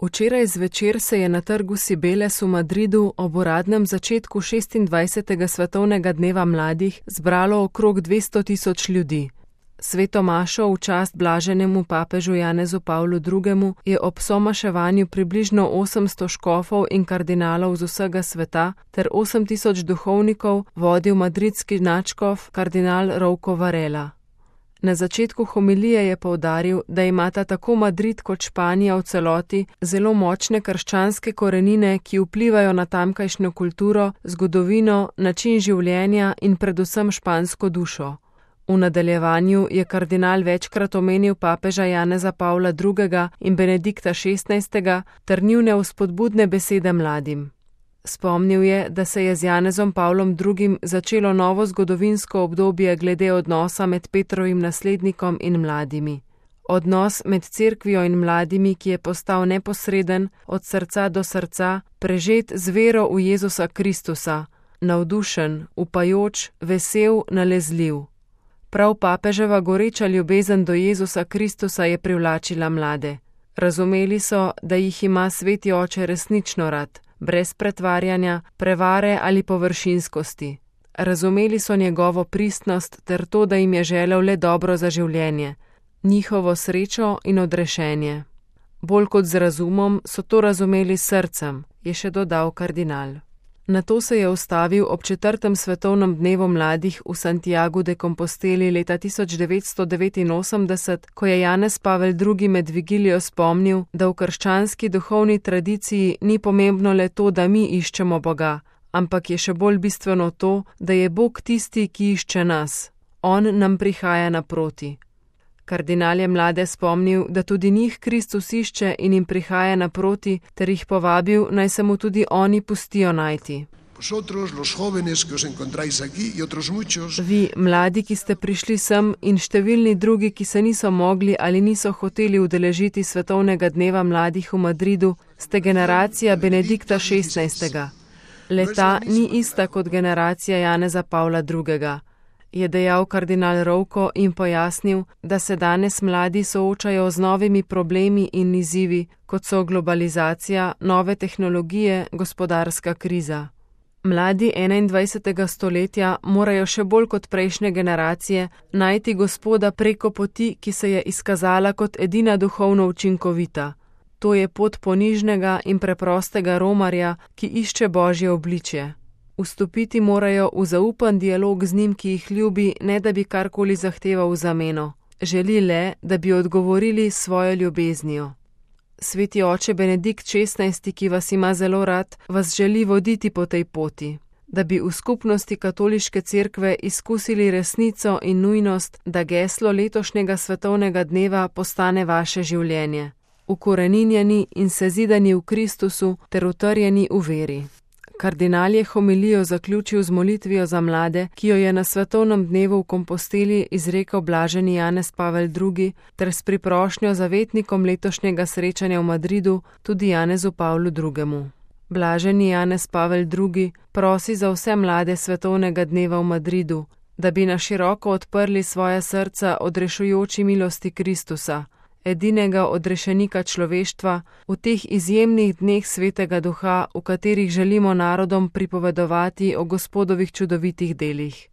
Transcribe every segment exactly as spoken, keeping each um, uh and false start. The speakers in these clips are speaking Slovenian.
Včeraj zvečer se je na trgu Cibeles v Madridu ob uradnem začetku šestindvajsetega svetovnega dneva mladih zbralo okrog dvesto tisoč ljudi. Sveto mašo v čast blaženemu papežu Janezu Pavlu drugemu je ob somaševanju približno osemsto škofov in kardinalov z vsega sveta ter osem tisoč duhovnikov vodil madridski nadškof kardinal Rouco Varela. Na začetku homilije je poudaril, da imata tako Madrid kot Španija v celoti zelo močne krščanske korenine, ki vplivajo na tamkajšnjo kulturo, zgodovino, način življenja in predvsem špansko dušo. V nadaljevanju je kardinal večkrat omenil papeža Janeza Pavla drugega in Benedikta šestnajstega ter njune vzpodbudne besede mladim. Spomnil je, da se je z Janezom Pavlom drugim začelo novo zgodovinsko obdobje glede odnosa med Petrovim naslednikom in mladimi. Odnos med cerkvijo in mladimi, ki je postal neposreden, od srca do srca, prežet z vero v Jezusa Kristusa, navdušen, upajoč, vesel, nalezljiv. Prav papeževa goreča ljubezen do Jezusa Kristusa je privlačila mlade. Razumeli so, da jih ima sveti oče resnično rad, brez pretvarjanja, prevare ali površinskosti. Razumeli so njegovo pristnost ter to, da jim je želel le dobro za življenje, njihovo srečo in odrešenje. Bolj kot z razumom so to razumeli s srcem, je še dodal kardinal. Nato se je ustavil ob četrtem svetovnem dnevu mladih v Santiagu de Composteli leta tisoč devetsto devetinosemdeset, ko je Janez Pavel drugi med vigilijo spomnil, da v krščanski duhovni tradiciji ni pomembno le to, da mi iščemo Boga, ampak je še bolj bistveno to, da je Bog tisti, ki išče nas. On nam prihaja naproti. Kardinal je mlade spomnil, da tudi njih Kristus išče in jim prihaja naproti, ter jih povabil, naj se mu tudi oni pustijo najti. Vi, mladi, ki ste prišli sem, in številni drugi, ki se niso mogli ali niso hoteli udeležiti svetovnega dneva mladih v Madridu, ste generacija Benedikta šestnajstega. Leta ni ista kot generacija Janeza Pavla drugega. Je dejal kardinal Rouco in pojasnil, da se danes mladi soočajo z novimi problemi in izzivi, kot so globalizacija, nove tehnologije, gospodarska kriza. Mladi enaindvajsetega stoletja morajo še bolj kot prejšnje generacije najti Gospoda preko poti, ki se je izkazala kot edina duhovno učinkovita. To je pot ponižnega in preprostega romarja, ki išče Božje obličje. Vstopiti morajo v zaupan dialog z njim, ki jih ljubi, ne da bi karkoli zahteval v zameno. Želi le, da bi odgovorili svojo ljubeznijo. Sveti oče Benedikt šestnajsti, ki vas ima zelo rad, vas želi voditi po tej poti, da bi v skupnosti katoliške cerkve izkusili resnico in nujnost, da geslo letošnjega svetovnega dneva postane vaše življenje. Ukoreninjeni in sezidani v Kristusu ter utrjeni v veri. Kardinal je homilijo zaključil z molitvijo za mlade, ki jo je na svetovnem dnevu v Komposteli izrekel blaženi Janez Pavel drugi, ter s priprošnjo zavetnikom letošnjega srečanja v Madridu tudi Janezu Pavlu drugemu. Blaženi Janez Pavel drugi prosi za vse mlade svetovnega dneva v Madridu, da bi na široko odprli svoja srca odrešujoči milosti Kristusa, edinega odrešenika človeštva, v teh izjemnih dneh svetega duha, v katerih želimo narodom pripovedovati o Gospodovih čudovitih delih.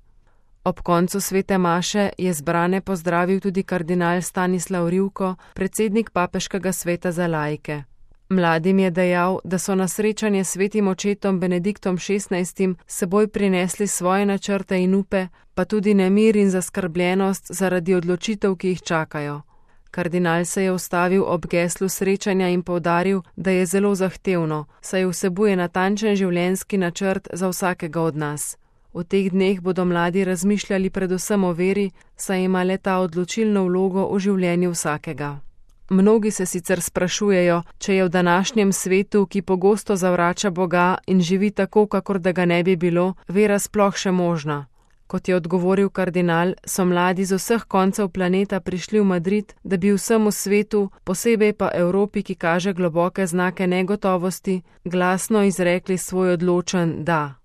Ob koncu svete maše je zbrane pozdravil tudi kardinal Stanislav Rivko, predsednik papeškega sveta za laike. Mladim je dejal, da so na srečanje s svetim očetom Benediktom šestnajstim seboj prinesli svoje načrte in upe, pa tudi nemir in zaskrbljenost zaradi odločitev, ki jih čakajo. Kardinal se je ustavil ob geslu srečanja in poudaril, da je zelo zahtevno, saj vsebuje natančen življenjski načrt za vsakega od nas. V teh dneh bodo mladi razmišljali predvsem o veri, saj ima le ta odločilno vlogo v življenju vsakega. Mnogi se sicer sprašujejo, če je v današnjem svetu, ki pogosto zavrača Boga in živi tako, kakor da ga ne bi bilo, vera sploh še možna. Kot je odgovoril kardinal, so mladi z vseh koncev planeta prišli v Madrid, da bi vsemu svetu, posebej pa Evropi, ki kaže globoke znake negotovosti, glasno izrekli svoj odločen da.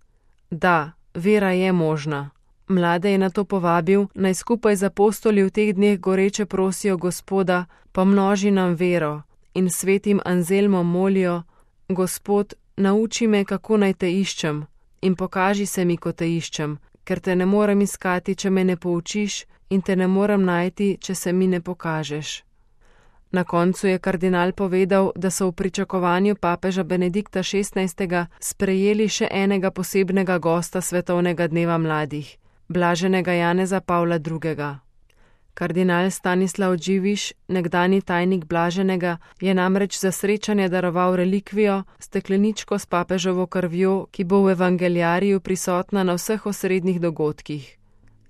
Da, vera je možna. Mlade je nato povabil, naj skupaj z apostoli v teh dneh goreče prosijo Gospoda, pomnoži nam vero in svetim Anzelmom molijo: Gospod, nauči me, kako naj te iščem, in pokaži se mi, ko te iščem, ker te ne morem iskati, če me ne poučiš, in te ne morem najti, če se mi ne pokažeš. Na koncu je kardinal povedal, da so v pričakovanju papeža Benedikta šestnajstega sprejeli še enega posebnega gosta svetovnega dneva mladih, blaženega Janeza Pavla drugega. Kardinal Stanislav Dživiš, nekdanji tajnik blaženega, je namreč za srečanje daroval relikvijo, stekleničko s papeževo krvjo, ki bo v evangeliariju prisotna na vseh osrednjih dogodkih.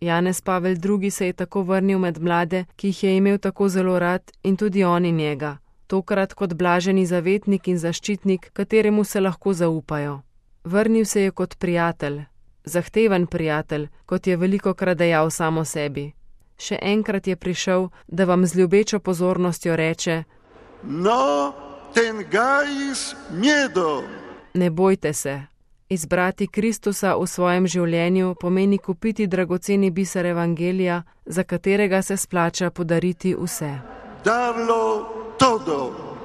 Janez Pavel drugi se je tako vrnil med mlade, ki jih je imel tako zelo rad, in tudi oni njega, tokrat kot blaženi zavetnik in zaščitnik, kateremu se lahko zaupajo. Vrnil se je kot prijatelj, zahteven prijatelj, kot je velikokrat dejal samo sebi. Še enkrat je prišel, da vam z ljubečo pozornostjo reče: No tengais miedo. Ne bojte se. Izbrati Kristusa v svojem življenju pomeni kupiti dragoceni biser evangelija, za katerega se splača podariti vse. Darlo todo.